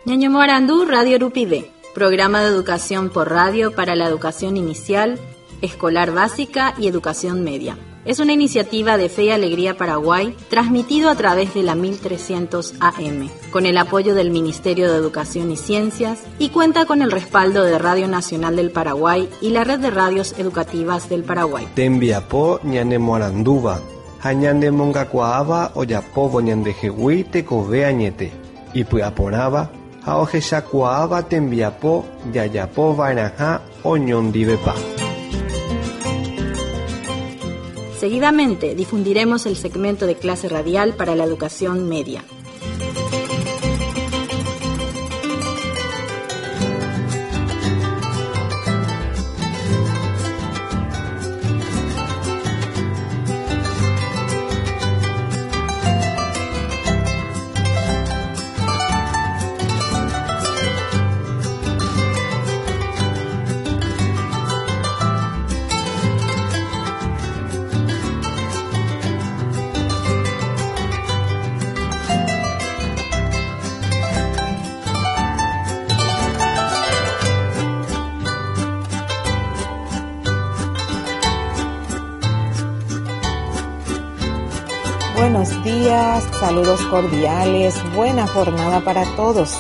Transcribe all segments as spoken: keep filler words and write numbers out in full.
Ñañomoarandu Radio Rupive, programa de educación por radio para la educación inicial, escolar básica y educación media. Es una iniciativa de Fe y Alegría Paraguay, transmitido a través de la mil trescientos A M, con el apoyo del Ministerio de Educación y Ciencias, y cuenta con el respaldo de Radio Nacional del Paraguay y la Red de Radios Educativas del Paraguay. Tembiapo ñanemoarandúva, ha ñanemongakuaáva ojapóvo ñandehegui tekove añete, ipy'aporãva ha ohechakuaáva tembiapo jajapova'erãha oñondivepa. Seguidamente difundiremos el segmento de clase radial para la educación media. Buenos días, saludos cordiales, buena jornada para todos.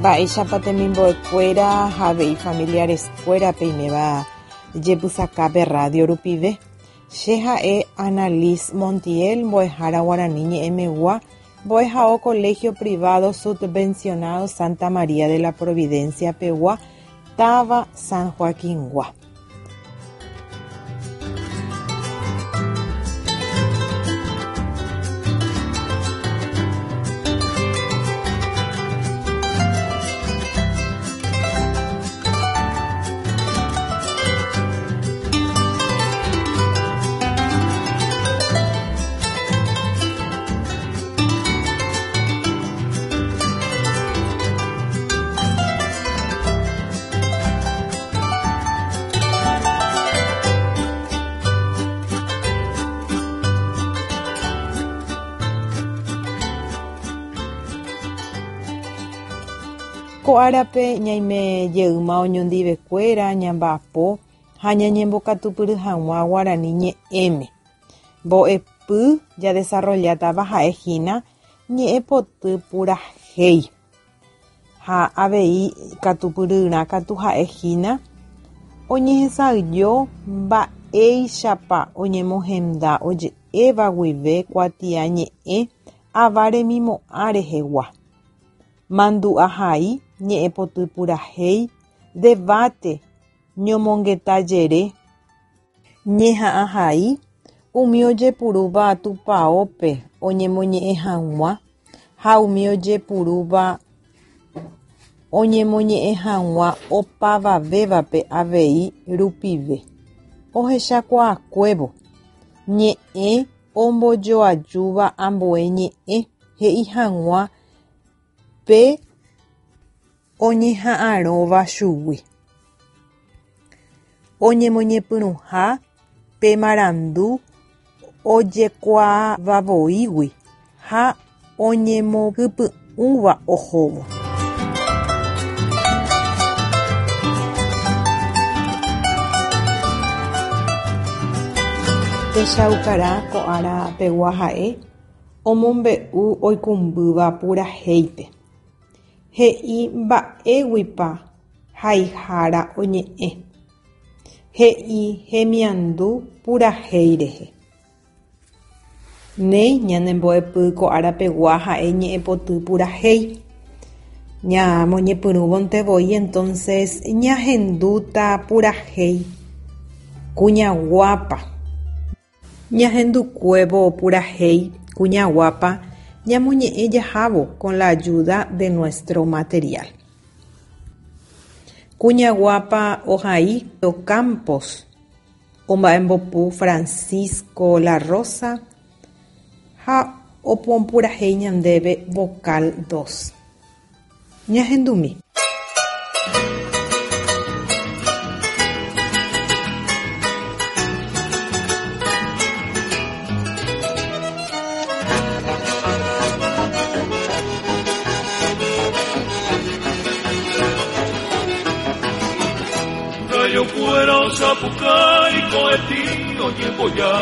Vaicha patemimbo escuera, jave y familiares escuera peimeba, yepusacape radio rupive. Sheja e Annalise Montiel, boejara guaraniñe emegua, boejao colegio privado subvencionado Santa María de la Providencia Pegua, Tava San Joaquín Gua. Ko árape ñaime jeyma oñondivekuéra ñamba'apo ha ñañembokatupyry hag̃ua guarani ñe'ẽme. Mbo'epy jadesarrollatava ha'ehína ñe'ẽpoty purahéi. Ha avei katupyryrã katu ha'ehína oñehesa'ỹijo mba'éichapa oñemohenda oje'éva guive kuatiañe'ẽ ava remimo'ã rehegua. Mandu'ahai ñe'ẽpoty purahéi, debate, ñomongetajere, ñeha'ãhai, umi ojepurúva tupãópe oñemoñe'ẽ hag̃ua ha umi ojepurúva oñemoñe'ẽ hag̃ua opavavévape avei rupive. Ohechakuaakuévo ñe'ẽ ombojoajúva ambue ñe'ẽ he'i hag̃ua pe oñeha'ãrõva chugui. Oñemoñepyrũha pe marandu ojekuaavavoígui ha oñemohypy'ũva ohóvo. Techaukarã ko árapegua ha'e omombe'u oikũmbýva purahéipe. He'i mba'éguipa haihára oñe'ẽ. He'i hemiandu purahéi rehe. Néi ñanembo'epy ko árapegua ha'e ñe'ẽpoty purahéi. Ñamoñepyrũvonte voi entonces ñahendúta purahéi kuña guapa. Ñahendukuévo purahéi kuña guapa ñamoñe'ẽ jahávo con la ayuda de nuestro material. Kuña guapa ohai Campos, omba'embopu Francisco La Rosa ha opompurahéi ñandéve vocal dos. Ñahendumi. Kuera osapukai koetino ñemboya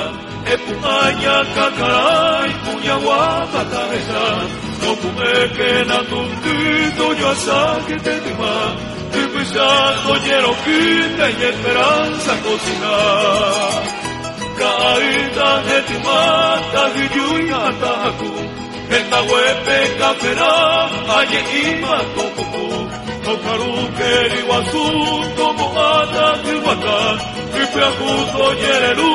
Epuaña kakarai kuñaguapa cabeza No pume na tuntito yo asaque tetima Ipisa toyeroquita y esperanza cocinar Kaita hetimata hiyuya taku Entahuepe cafera aye ima topoku Tokaru keriwasu tomoata kiwata Ipeakuto yereru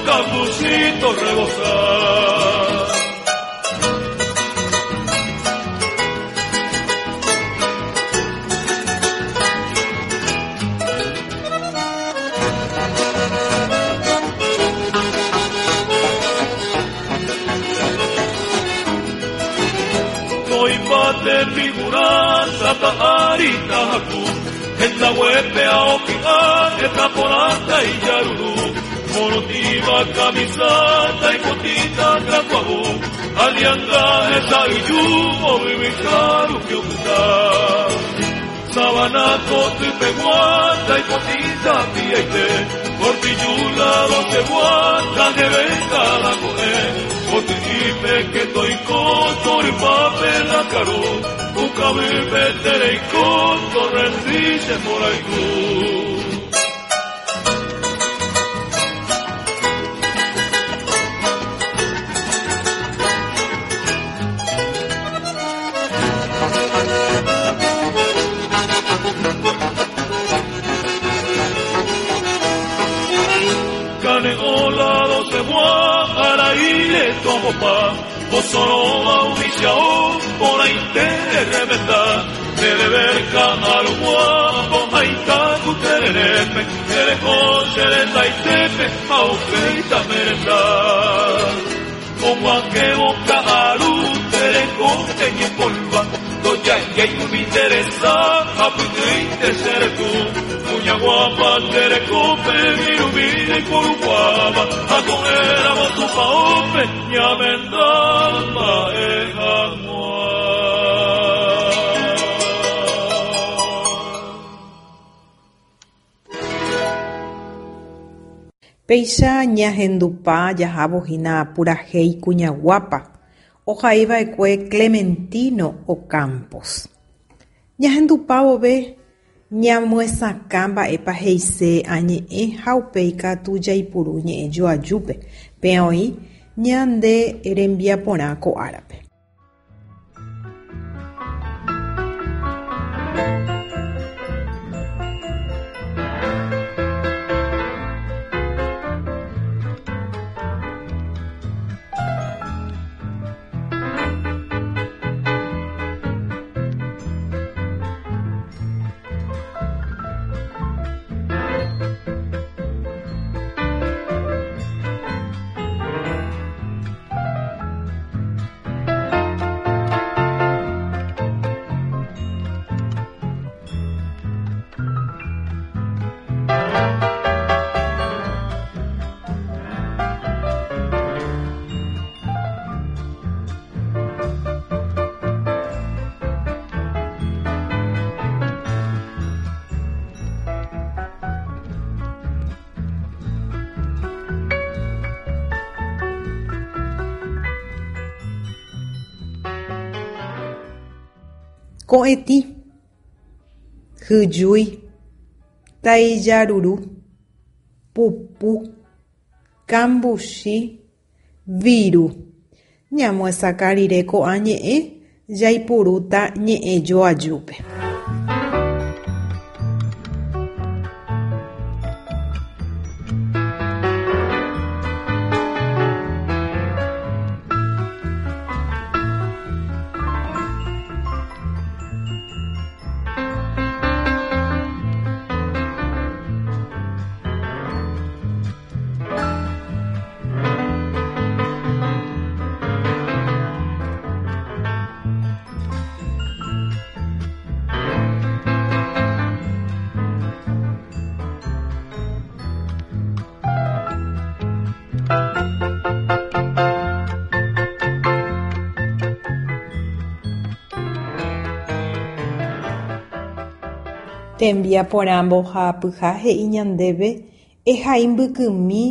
cambucito rebosar. Toipate figuranta ta'arita haku Entahuepe aoki'a etaporanta y yaruru Morotiva camisata y cotita kakuahu Alianga esa iyu obibicaru kiukuta Sabana kotipeguata y potita piaite Cortillula doce guata jevenga la coe Kotiipe que toiko toripape la karu Ukabipe tereiko torrendice moraiku. Cane ola doce guara ile tomopa Osoroa unisiao por ahí te remenda Televerca arugua pomaita kutererepe Terejo seretaitepe aupeita merenda Como que boca aru terejo teñe polva Doya yay mi interesa apuite seretu Muñaguapa terecope mirumire coruguaba Agoera botupaope ñamendama ejamua. Péicha ñahendupa jahávo hína purahéi kuñaguápa ohaiva'ekue Clementino Ocampos. Ñahendupávove ñamyesakã mba'épa he'ise añe'ẽ ha upéi katu jaipuru ñe'ẽ joajúpe péa oĩ ñande rembiaporã ko árape. Ko'ẽtĩ, hyjúi, taijaruru, pupu, kambuchi, viru. Ñamyesakã rire ko'ã ñe'ẽ jaipurúta ñe'ẽ joajúpe. Tembiaporã mbohapyha he'i ñandéve ehai mbykymi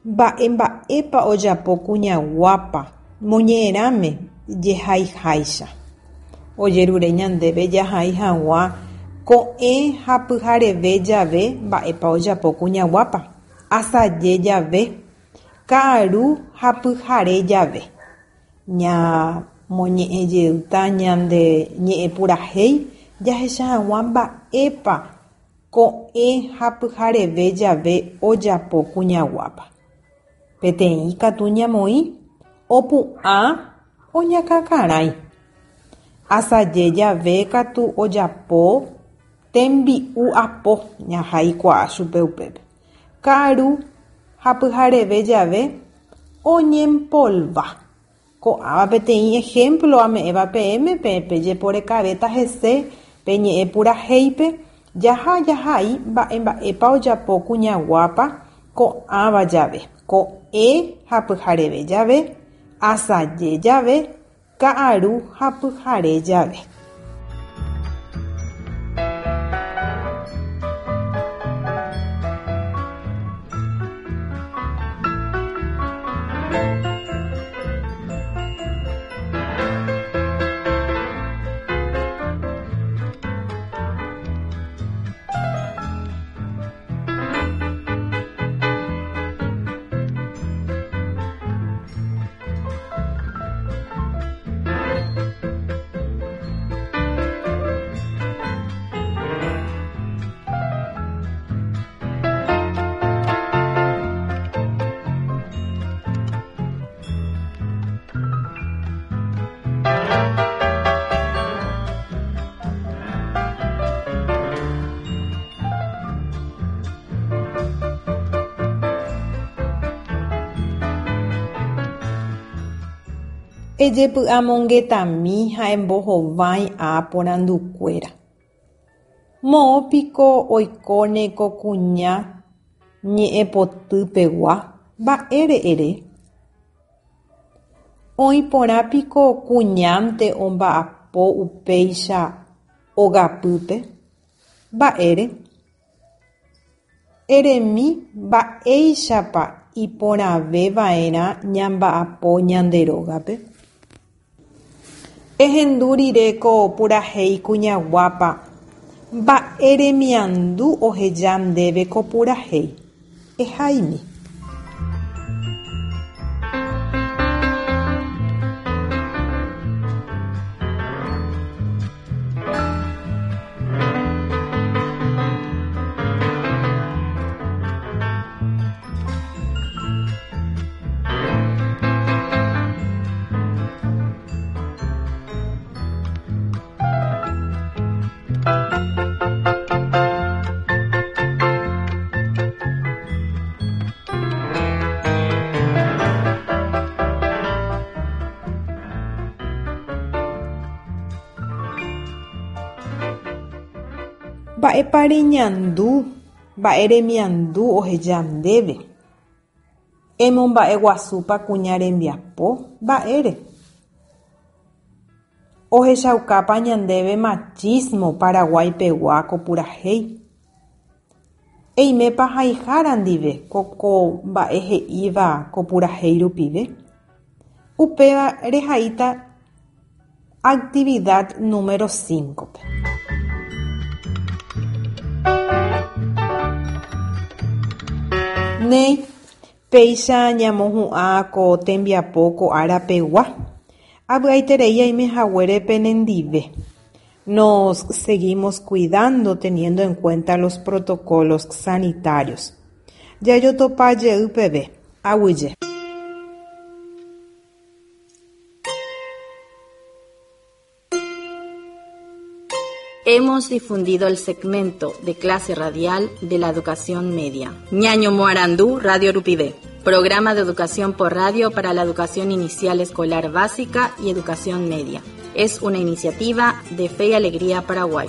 mba'emba'épa ojapo kuñaguápa moñe'ẽrãme jehaiháicha. Ojerure ñandéve jahai hag̃ua ko'ẽ ha pyhareve jave mba'épa ojapo kuñaguápa, asaje jave, ka'aru ha pyhare jave. Ñamoñe'ẽjeýta ñande ñe'ẽpurahéi jahecha hag̃ua mba'épa ko'ẽ ha pyhareve jave ojapo kuñaguápa. Peteĩ katu ñamoĩ opu'ã oñakãkarãi. Asaje jave katu ojapo tembi'u apo jahaikuaa chupe upépe. Ka'aru ha pyhareve jave oñempolva. Ko'ãva peteĩ ejemplo ame'ẽva peẽme pejeporekavéta hese pe ñe'ẽpurahéipe jaha jahai mba'emba'épa ojapo kuñaguápa ko'ãva jave. Ko'ẽ ha pyhareve jave, asaje jave, ka'aru ha pyhare jave. Ejepy'amongetami ha embohovái aporandukuéra. Moõpiko oikóne ko kuña ñe'ẽpotypegua mba'ére ere. Oĩporãpiko kuñánte omba'apo upéicha ogapýpe. Mba'ére. Eremi mba'éichapa iporãveva'erã ñamba'apo ñande rógape. Ehendu rire ko purahéi kuñaguápa mba'e remiandu oheja ndéve ko purahéi. Ehaimi. Mba'épa reñandu, mba'e remiandu oheja ndéve. Emomba'eguasúpa kuña rembiapo, mba'ére. Ohechaukápa ñandéve machismo Paraguaypegua ko purahéi. Eimépa haihára ndive ko ko mba'e he'íva ko purahéi rupive. Upéva rehaíta actividad número cinco-pe. Néi, péicha ñamohu'ã ko tembiapo ko árapegua. Avy'aiterei aime haguére penendive. Nos seguimos cuidando teniendo en cuenta los protocolos sanitarios. Jajotopa jey peve. Aguyje. Hemos difundido el segmento de clase radial de la educación media. Ñaño Moarandú, Radio Rupivé. Programa de educación por radio para la educación inicial escolar básica y educación media. Es una iniciativa de Fe y Alegría Paraguay.